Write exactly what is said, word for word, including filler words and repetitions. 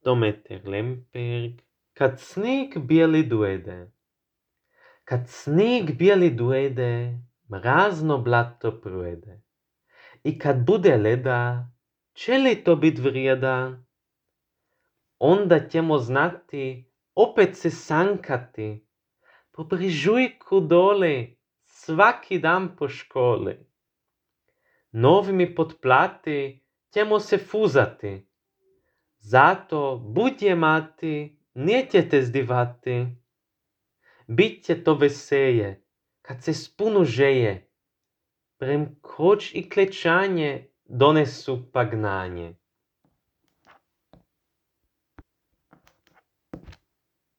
Dometer Lemberg, kad snijeg bijeli dojede. Kad snijeg bijeli dojede, mrazno blato projede. I kad bude leda, će li to bit vrijeda? Onda ćemo znati, opet se sankati, po brižujku dole, svaki dan po školi. Novimi potplati ćemo se fuzati, zato budje mati, nećete zdivati. Biće to veselje, kad se spunu žeje, prem kroč i klečanje donesu pagnanje.